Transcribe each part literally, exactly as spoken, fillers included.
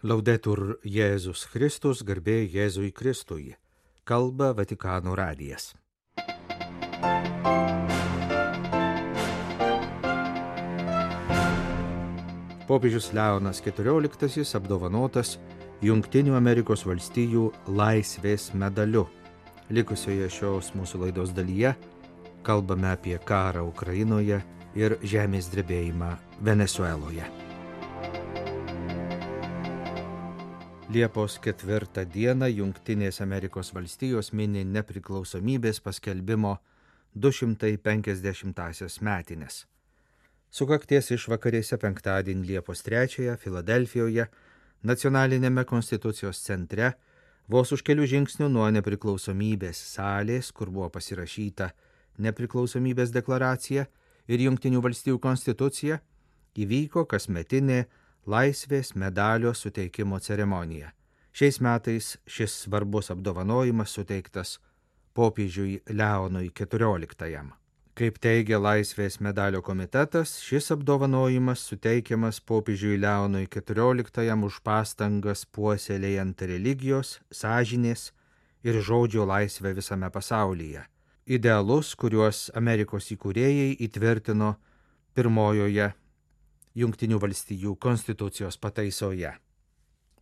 Laudetur Jėzus Kristus, garbė Jėzui Kristui. Kalba Vatikano radijas. Popiežius Leonas keturioliktasis apdovanotas Jungtinių Amerikos valstijų laisvės medaliu. Likusioje šios mūsų laidos dalyje kalbame apie karą Ukrainoje ir žemės drebėjimą Venesueloje. Liepos ketvirtą dieną Jungtinės Amerikos valstijos mini nepriklausomybės paskelbimo du šimtai penkiasdešimtąsias metines. Sukakties išvakarėse penktadienį Liepos trečiąją Filadelfijoje, nacionalinėme Konstitucijos centre, vos už kelių žingsnių nuo nepriklausomybės salės, kur buvo pasirašyta nepriklausomybės deklaracija ir Jungtinių valstijų konstitucija, įvyko kasmetinė laisvės medalio suteikimo ceremonija. Šiais metais šis svarbus apdovanojimas suteiktas popiežiui Leonui keturioliktajam. Kaip teigia Laisvės medalio komitetas, šis apdovanojimas suteikiamas popiežiui Leonui keturioliktajam už pastangas puoselėjant religijos, sąžinės ir žodžio laisvę visame pasaulyje. Idealus, kuriuos Amerikos įkūrėjai įtvirtino pirmojoje Jungtinių valstijų konstitucijos pataisoje.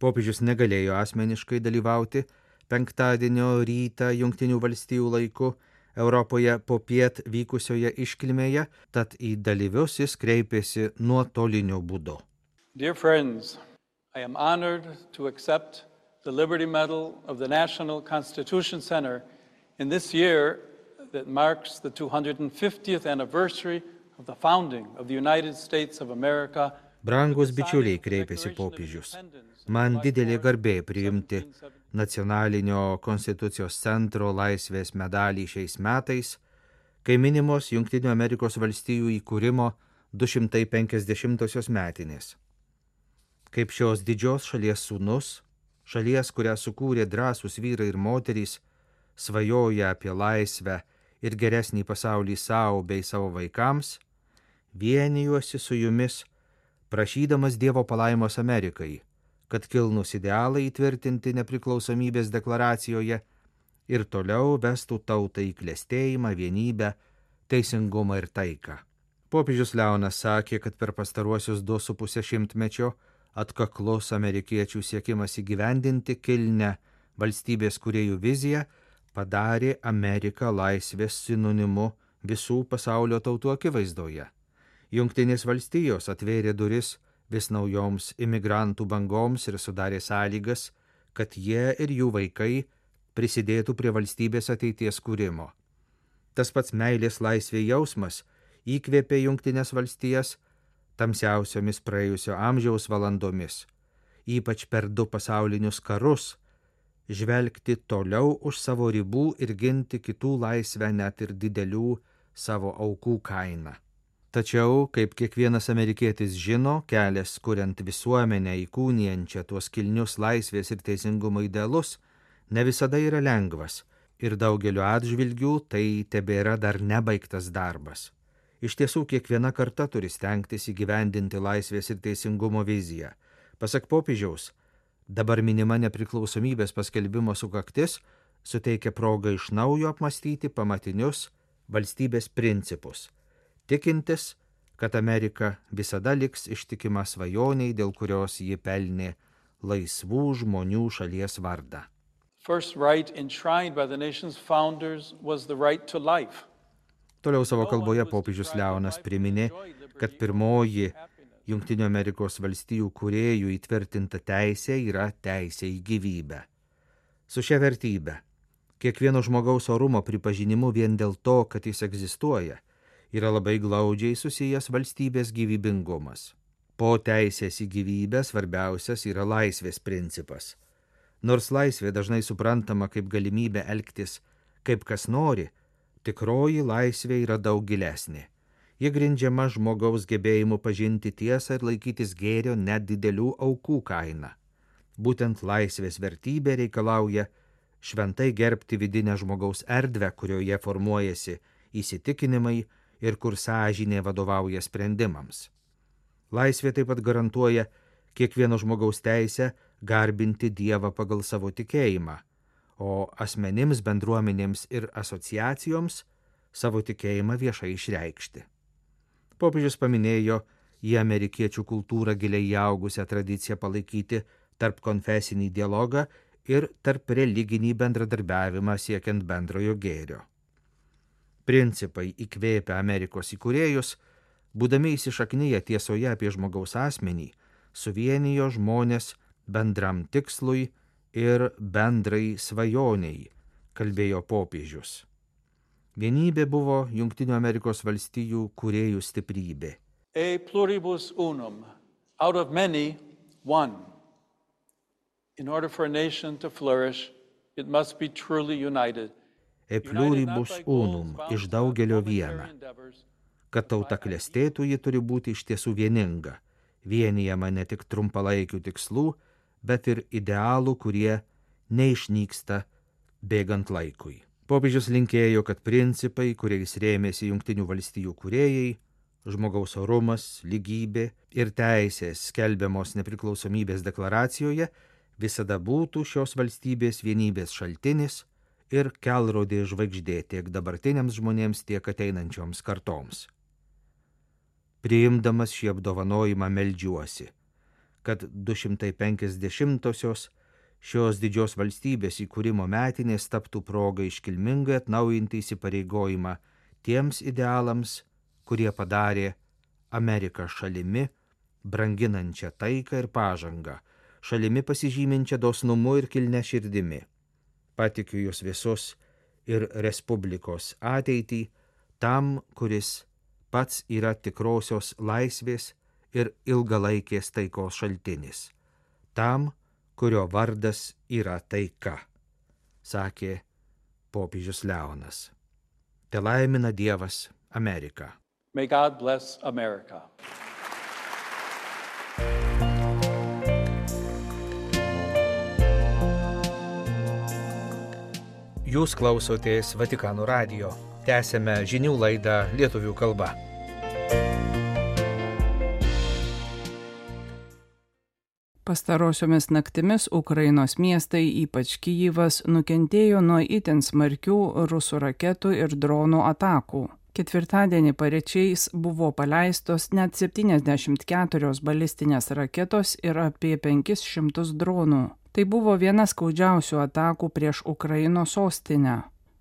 Popiežius negalėjo asmeniškai dalyvauti penktadienio rytą Jungtinių valstijų laiku Europoje popiet vykusioje iškilmėje, tad į dalyvius jis kreipėsi nuotoliniu būdu. Dear friends, I am honored to accept the Liberty Medal of the National Constitution Center in this year that marks the two hundred fiftieth anniversary of the founding of the United States of America. Brangus bičiuliai, kreipėsi popiežius. Man didelė garbė priimti Nacionalinio Konstitucijos centro laisvės medalį šiais metais, kai minimos Jungtinių Amerikos valstijų įkūrimo du šimtai penkiasdešimtosios metinės. Kaip šios didžios šalies sūnus, šalies, kurią sukūrė drąsūs vyrai ir moterys, svajoja apie laisvę ir geresnį pasaulį savo bei savo vaikams, vienijuosi su jumis, prašydamas Dievo palaimos Amerikai, kad kilnūs idealai įtvirtinti nepriklausomybės deklaracijoje ir toliau vestų tautą į klestėjimą, vienybę, teisingumą ir taiką. Popiežius Leonas sakė, kad per pastaruosius du su pusę šimtmečio atkaklus amerikiečių siekimas įgyvendinti kilnią valstybės kūrėjų viziją padarė Ameriką laisvės sinonimu visų pasaulio tautų akivaizdoje. Jungtinės valstijos atvėrė duris vis naujoms imigrantų bangoms ir sudarė sąlygas, kad jie ir jų vaikai prisidėtų prie valstybės ateities kūrimo. Tas pats meilės laisvė jausmas įkvėpė Jungtinės valstijas tamsiausiomis praėjusio amžiaus valandomis, ypač per du pasaulinius karus, žvelgti toliau už savo ribų ir ginti kitų laisvę net ir didelių savo aukų kainą. Tačiau, kaip kiekvienas amerikietis žino, kelias kuriant visuomenę įkūnijančią tuos kilnius laisvės ir teisingumo idealus, ne visada yra lengvas ir daugeliu atžvilgių tai tebėra dar nebaigtas darbas. Iš tiesų, kiekviena karta turi stengtis įgyvendinti laisvės ir teisingumo viziją. Pasak popiežiaus, dabar minima nepriklausomybės paskelbimo sukaktis suteikia progą iš naujo apmastyti pamatinius valstybės principus, tikintis, kad Amerika visada liks ištikima svajoniai, dėl kurios ji pelnė laisvų žmonių šalies vardą. First right enshrined by the nation's founders was the right to life. Toliau savo kalboje popiežius Leonas priminė, kad pirmoji Jungtinių Amerikos valstijų kūrėjų įtvirtinta teisė yra teisė į gyvybę. Su šia vertybe, kiekvieno žmogaus orumo pripažinimu vien dėl to, kad jis egzistuoja, yra labai glaudžiai susijęs valstybės gyvybingumas. Po teisės į gyvybę svarbiausias yra laisvės principas. Nors laisvė dažnai suprantama kaip galimybė elgtis kaip kas nori, tikroji laisvė yra daug gilesnė. Ji grindžiama žmogaus gebėjimu pažinti tiesą ir laikytis gėrio net didelių aukų kaina. Būtent laisvės vertybė reikalauja šventai gerbti vidinę žmogaus erdvę, kurioje formuojasi įsitikinimai ir kur sąžinė vadovauja sprendimams. Laisvė taip pat garantuoja kiekvieno žmogaus teisę garbinti Dievą pagal savo tikėjimą, o asmenims, bendruomenėms ir asociacijoms savo tikėjimą viešai išreikšti. Popiežius paminėjo į amerikiečių kultūrą giliai įaugusią tradiciją palaikyti tarp konfesinį dialogą ir tarp religinį bendradarbiavimą siekiant bendrojo gėrio. Principai įkvėpę Amerikos įkūrėjus, būdami įsišaknyję tiesoje apie žmogaus asmenį, suvienijo žmonės bendram tikslui ir bendrai svajoniai, kalbėjo popiežius. Vienybė buvo Jungtinių Amerikos valstijų kūrėjų stiprybė. E pluribus unum, out of many, one. In order for a nation to flourish, it must be truly united. E pluribus unum, iš daugelio viena. Kad tauta klestėtų, ji turi būti iš tiesų vieninga, vienijama ne tik trumpalaikių tikslų, bet ir idealų, kurie neišnyksta bėgant laikui. Popiežius linkėjo, kad principai, kuriais rėmėsi Jungtinių valstijų kūrėjai, žmogaus orumas, lygybė ir teisės skelbiamos nepriklausomybės deklaracijoje, visada būtų šios valstybės vienybės šaltinis ir kelrodė žvaigždė tiek dabartiniams žmonėms, tiek ateinančioms kartoms. Priimdamas šį apdovanojimą meldžiuosi, kad du šimtai penkiasdešimtosios šios didžios valstybės įkūrimo metinės taptų proga iškilmingai atnaujinti įsipareigojimą tiems idealams, kurie padarė Ameriką šalimi, branginančią taiką ir pažangą, šalimi pasižyminčią dosnumu ir kilnia širdimi. Patikiu jūs visus ir Respublikos ateitį tam, kuris pats yra tikrosios laisvės ir ilgalaikės taikos šaltinis. Tam, kurio vardas yra taika, sakė popiežius Leonas. Te laimina Dievas Ameriką. May God bless America. Jūs klausotės Vatikano radijo. Tęsėme žinių laidą lietuvių kalba. Pastarosiomis naktimis Ukrainos miestai, ypač Kijivas, nukentėjo nuo itin smarkių rusų raketų ir dronų atakų. Ketvirtadienį paryčiais buvo paleistos net septyniasdešimt keturios balistinės raketos ir apie penkis šimtus dronų. Tai buvo viena skaudžiausių atakų prieš Ukrainos sostinę.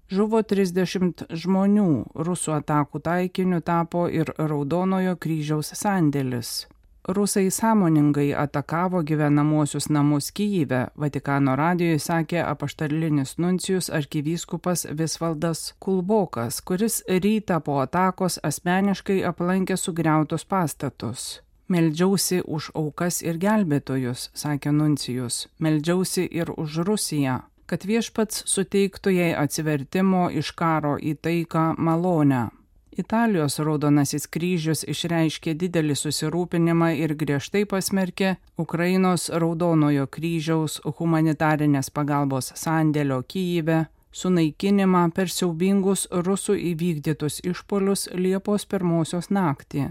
Žuvo trisdešimt žmonių, rusų atakų taikiniu tapo ir Raudonojo kryžiaus sandėlis. Rusai sąmoningai atakavo gyvenamuosius namus Kijive, Vatikano radijui sakė apaštalinis nuncijus arkivyskupas Visvaldas Kulbokas, kuris rytą po atakos asmeniškai aplankė sugriautus pastatus. Meldžiausi už aukas ir gelbėtojus, sakė nuncijus, meldžiausi ir už Rusiją, kad viešpats suteiktų jai atsivertimo iš karo į taiką malonę. Italijos Raudonasis kryžius išreiškė didelį susirūpinimą ir griežtai pasmerkė Ukrainos Raudonojo kryžiaus humanitarinės pagalbos sandėlio Kijive sunaikinimą per siaubingus rusų įvykdytus išpuolius Liepos pirmosios naktį.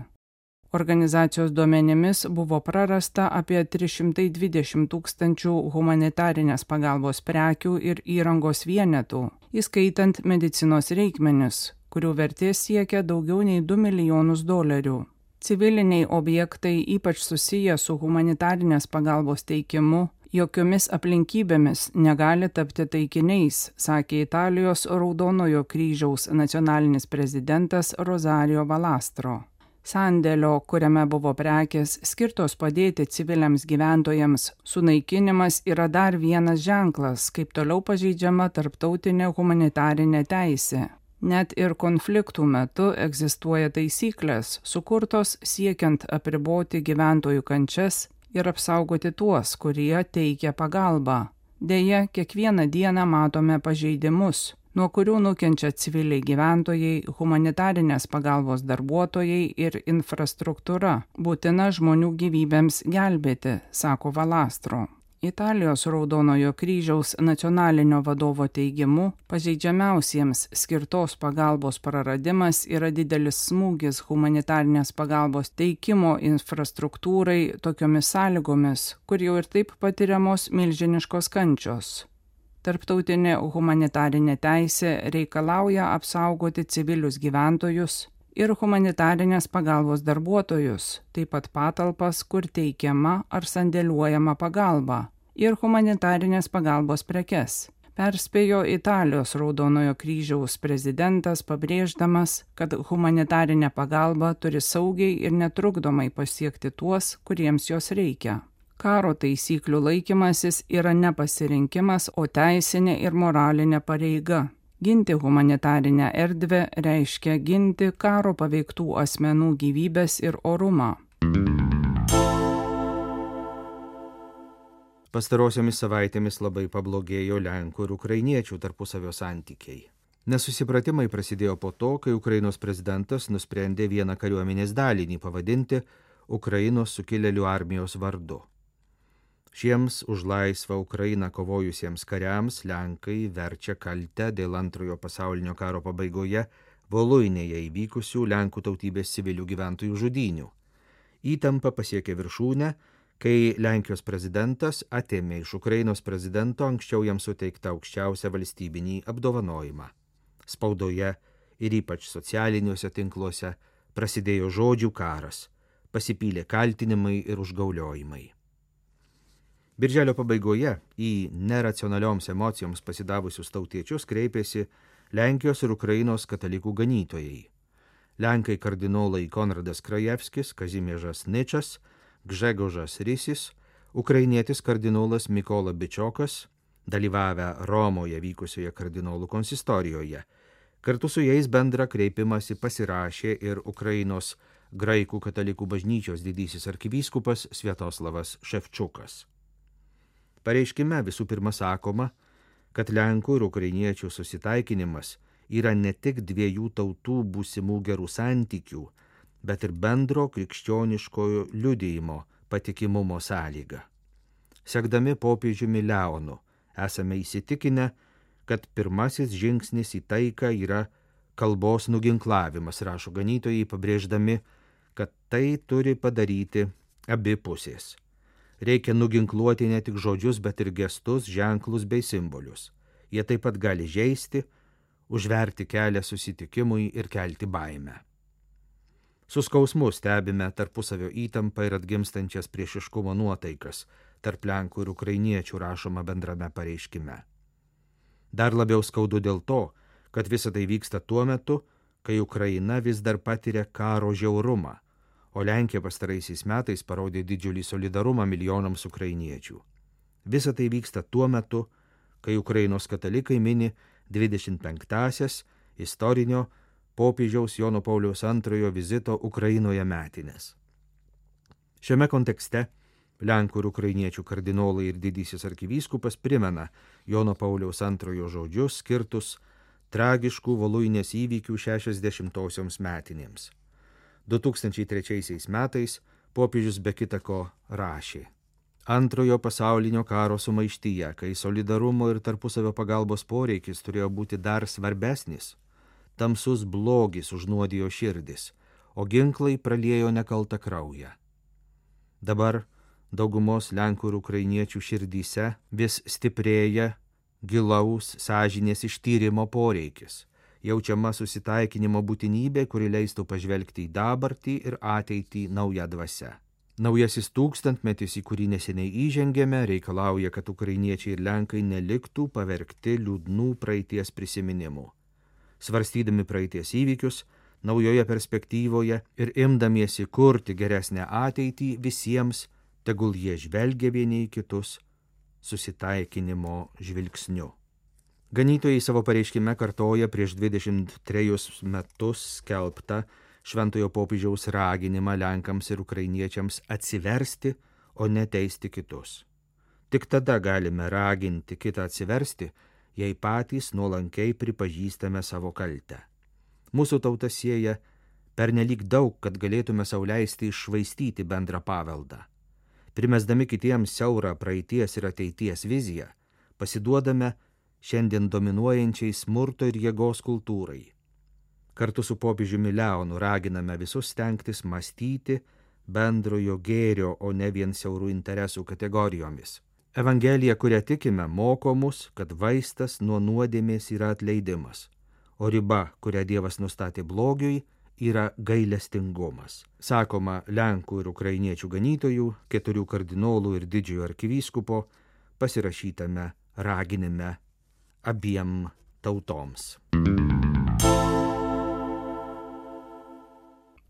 Organizacijos duomenimis buvo prarasta apie trys šimtai dvidešimt tūkstančių humanitarinės pagalbos prekių ir įrangos vienetų, įskaitant medicinos reikmenis, kurių vertė siekia daugiau nei du milijonus dolerių. Civiliniai objektai, ypač susiję su humanitarinės pagalbos teikimu, jokiomis aplinkybėmis negali tapti taikiniais, sakė Italijos Raudonojo kryžiaus nacionalinis prezidentas Rosario Valastro. Sandėlio, kuriame buvo prekės skirtos padėti civiliams gyventojams, sunaikinimas yra dar vienas ženklas, kaip toliau pažeidžiama tarptautinė humanitarinė teisė. Net ir konfliktų metu egzistuoja taisyklės, sukurtos siekiant apriboti gyventojų kančias ir apsaugoti tuos, kurie teikia pagalbą. Deja, kiekvieną dieną matome pažeidimus, nuo kurių nukenčia civiliai gyventojai, humanitarinės pagalbos darbuotojai ir infrastruktūra, būtina žmonių gyvybėms gelbėti, sako Valastro. Italijos Raudonojo kryžiaus nacionalinio vadovo teigimu, pažeidžiamiausiems skirtos pagalbos praradimas yra didelis smūgis humanitarnės pagalbos teikimo infrastruktūrai tokiomis sąlygomis, kur jau ir taip patiriamos milžiniškos kančios. Tarptautinė humanitarinė teisė reikalauja apsaugoti civilius gyventojus ir humanitarinės pagalbos darbuotojus, taip pat patalpas, kur teikiama ar sandėliuojama pagalba, ir humanitarinės pagalbos prekes, perspėjo Italijos Raudonojo kryžiaus prezidentas, pabrėždamas, kad humanitarinė pagalba turi saugiai ir netrukdomai pasiekti tuos, kuriems jos reikia. Karo taisyklių laikymasis yra ne pasirinkimas, o teisinė ir moralinė pareiga. Ginti humanitarinę erdvę reiškia ginti karo paveiktų asmenų gyvybės ir orumą. Pastarosiomis savaitėmis labai pablogėjo lenkų ir ukrainiečių tarpusavio santykiai. Nesusipratimai prasidėjo po to, kai Ukrainos prezidentas nusprendė vieną kariuomenės dalinį pavadinti Ukrainos sukilėlių armijos vardu. Šiems už laisvą Ukrainą kovojusiems kariams Lenkai verčia kaltę dėl antrojo pasaulinio karo pabaigoje Voluinėje įvykusių Lenkų tautybės civilių gyventojų žudynių. Įtampa pasiekė viršūnę, kai Lenkijos prezidentas atėmė iš Ukrainos prezidento anksčiau jam suteiktą aukščiausią valstybinį apdovanojimą. Spaudoje ir ypač socialiniuose tinkluose prasidėjo žodžių karas, pasipylė kaltinimai ir užgauliojimai. Birželio pabaigoje į neracionalioms emocijoms pasidavusius tautiečius kreipėsi Lenkijos ir Ukrainos katalikų ganytojai. Lenkai kardinolai Konradas Krajevskis, Kazimiežas Ničas, Gžegožas Rysis, ukrainietis kardinolas Mikola Bičiokas, dalyvavę Romoje vykusioje kardinolų konsistorijoje. Kartu su jais bendrą kreipimąsi pasirašė ir Ukrainos graikų katalikų bažnyčios didysis arkivyskupas Sviatoslavas Ševčukas. Pareiškime visų pirma sakoma, kad Lenkų ir ukrainiečių susitaikinimas yra ne tik dviejų tautų būsimų gerų santykių, bet ir bendro krikščioniškojo liudijimo patikimumo sąlyga. Sekdami popiežiumi Leonu, esame įsitikinę, kad pirmasis žingsnis į taiką yra kalbos nuginklavimas, rašo ganytojai, pabrėždami, kad tai turi padaryti abi pusės. Reikia nuginkluoti ne tik žodžius, bet ir gestus, ženklus bei simbolius. Jie taip pat gali žeisti, užverti kelią susitikimui ir kelti baimę. Su skausmu stebime tarpusavio įtampą ir atgimstančias priešiškumo nuotaikas tarp Lenkų ir ukrainiečių, rašoma bendrame pareiškime. Dar labiau skaudu dėl to, kad visa tai vyksta tuo metu, kai Ukraina vis dar patiria karo žiaurumą, o Lenkija pastaraisiais metais parodė didžiulį solidarumą milijonams ukrainiečių. Visa tai vyksta tuo metu, kai Ukrainos katalikai mini dvidešimt penktąsias istorinio popiežiaus Jono Pauliaus antrojo vizito Ukrainoje metinės. Šiame kontekste Lenkų ir ukrainiečių kardinolai ir didysis arkivyskupas primena Jono Pauliaus antrojo žodžius skirtus tragiškų Voluinės įvykių šešiasdešimtosioms metinėms. du tūkstančiai trečiaisiais metais popiežius be kita ko rašė: Antrojo pasaulinio karo sumaištyje, kai solidarumo ir tarpusavio pagalbos poreikis turėjo būti dar svarbesnis, tamsus blogis užnuodijo širdis, o ginklai praliejo nekaltą kraują. Dabar daugumos Lenkų ir ukrainiečių širdyse vis stiprėja gilaus sąžinės ištyrimo poreikis, jaučiama susitaikinimo būtinybė, kuri leistų pažvelgti į dabartį ir ateitį naują dvasią. Naujasis tūkstantmetis, į kurį neseniai įžengėme, reikalauja, kad ukrainiečiai ir Lenkai neliktų pavergti liūdnų praeities prisiminimų. Svarstydami praeities įvykius, naujoje perspektyvoje ir imdamiesi kurti geresnę ateitį visiems, tegul jie žvelgia vieni į kitus susitaikinimo žvilgsniu. Ganytojai savo pareiškime kartoja prieš dvidešimt trejus metus skelbtą šventojo popiežiaus raginimą Lenkams ir ukrainiečiams atsiversti, o ne teisti kitus. Tik tada galime raginti kitą atsiversti, jei patys nuolankiai pripažįstame savo kaltę. Mūsų tauta sieja pernelyg daug, kad galėtume sau leisti iššvaistyti bendrą paveldą. Primesdami kitiems siaurą praeities ir ateities viziją, pasiduodame šiandien dominuojančiai smurto ir jėgos kultūrai. Kartu su popiežiumi Leonu raginame visus stengtis mąstyti bendrojo gėrio, o ne vien siaurų interesų kategorijomis. Evangelija, kurią tikime, moko mus, kad vaistas nuo nuodėmės yra atleidimas, o riba, kurią Dievas nustatė blogiui, yra gailestingumas. Sakoma Lenkų ir ukrainiečių ganytojų, keturių kardinolų ir didžiojo arkivyskupo pasirašytame raginime abiem tautoms.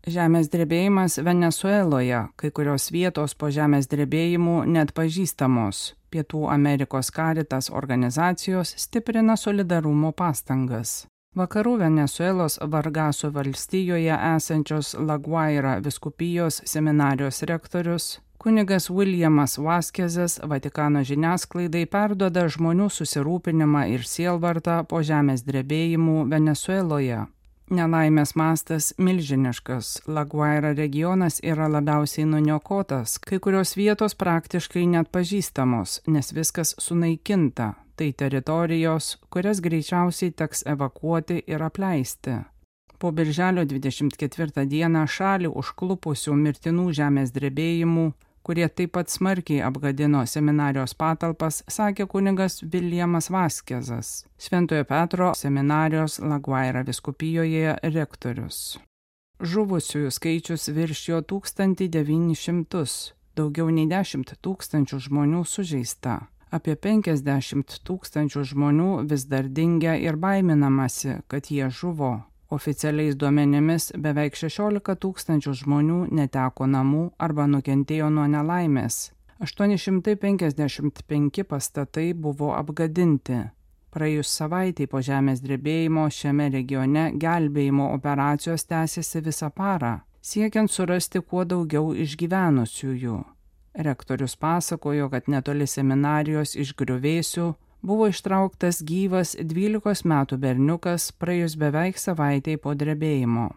Žemės drebėjimas Venesueloje, kai kurios vietos po žemės drebėjimų net pažįstamos. Pietų Amerikos Caritas organizacijos stiprina solidarumo pastangas. Vakarų Venesuelos Vargaso valstijoje esančios La Guaira vyskupijos seminarijos rektorius kunigas Williamas Vasquezas Vatikano žiniasklaidai perduoda žmonių susirūpinimą ir sielvartą po žemės drebėjimų Venesueloje. Nelaimės mastas milžiniškas. La Guaira regionas yra labiausiai nuniokotas, kai kurios vietos praktiškai net pažįstamos, nes viskas sunaikinta. Tai teritorijos, kurias greičiausiai teks evakuoti ir apleisti. Po birželio dvidešimt ketvirtą dieną šalį užklupusių mirtinų žemės drebėjimų, kurie taip pat smarkiai apgadino seminarijos patalpas, sakė kunigas Williamas Vasquezas, Šventojo Petro seminarijos La Guaira vyskupijoje rektorius. Žuvusiųjų skaičius viršijo tūkstantį devynis šimtus, daugiau nei dešimt tūkstančių žmonių sužeista. Apie penkiasdešimt tūkstančių žmonių vis dar dingia ir baiminamasi, kad jie žuvo. Oficialiais duomenimis beveik šešiolika tūkstančių žmonių neteko namų arba nukentėjo nuo nelaimės. aštuoni šimtai penkiasdešimt penki pastatai buvo apgadinti. Praėjus savaitei po žemės drebėjimo šiame regione gelbėjimo operacijos tęsiasi visą parą, siekiant surasti kuo daugiau išgyvenusiųjų. Rektorius pasakojo, kad netoli seminarijos iš griuvėsių buvo ištrauktas gyvas dvylikos metų berniukas praėjus beveik savaitei po drebėjimo.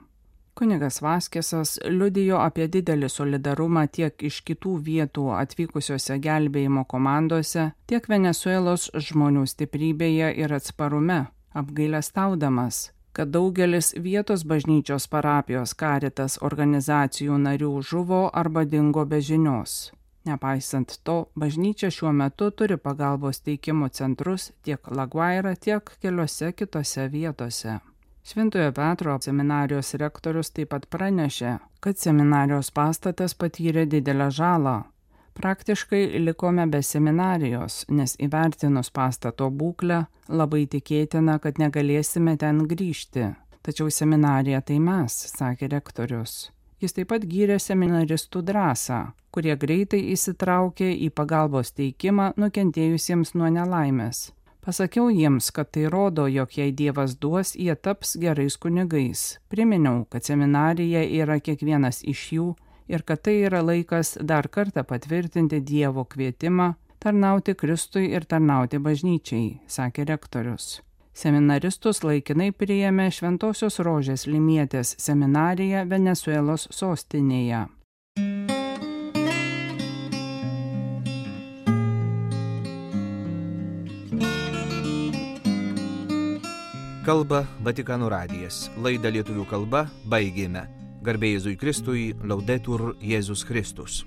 Kunigas Vasquezas liudijo apie didelį solidarumą tiek iš kitų vietų atvykusiose gelbėjimo komandose, tiek Venesuelos žmonių stiprybėje ir atsparume, apgailestaudamas, kad daugelis vietos bažnyčios parapijos Caritas organizacijų narių žuvo arba dingo be žinios. Nepaisant to, bažnyčia šiuo metu turi pagalbos teikimo centrus tiek La Guaira, tiek keliose kitose vietose. Šventojo Petro seminarijos rektorius taip pat pranešė, kad seminarijos pastatas patyrė didelę žalą. Praktiškai likome be seminarijos, nes įvertinus pastato būklę, labai tikėtina, kad negalėsime ten grįžti. Tačiau seminarija tai mes, sakė rektorius. Jis taip pat gyrė seminaristų drąsą, kurie greitai įsitraukė į pagalbos teikimą nukentėjusiems nuo nelaimės. Pasakiau jiems, kad tai rodo, jog jei Dievas duos, jie taps gerais kunigais. Priminiau, kad seminarija yra kiekvienas iš jų ir kad tai yra laikas dar kartą patvirtinti Dievo kvietimą tarnauti Kristui ir tarnauti bažnyčiai, sakė rektorius. Seminaristus laikinai priėmė Šventosios Rožės Limietės seminarija Venesuelos sostinėje. Kalba Vatikano radijas. Laidą lietuvių kalba baigėme. Garbė Jėzui Kristui, Laudetur Jėzus Kristus.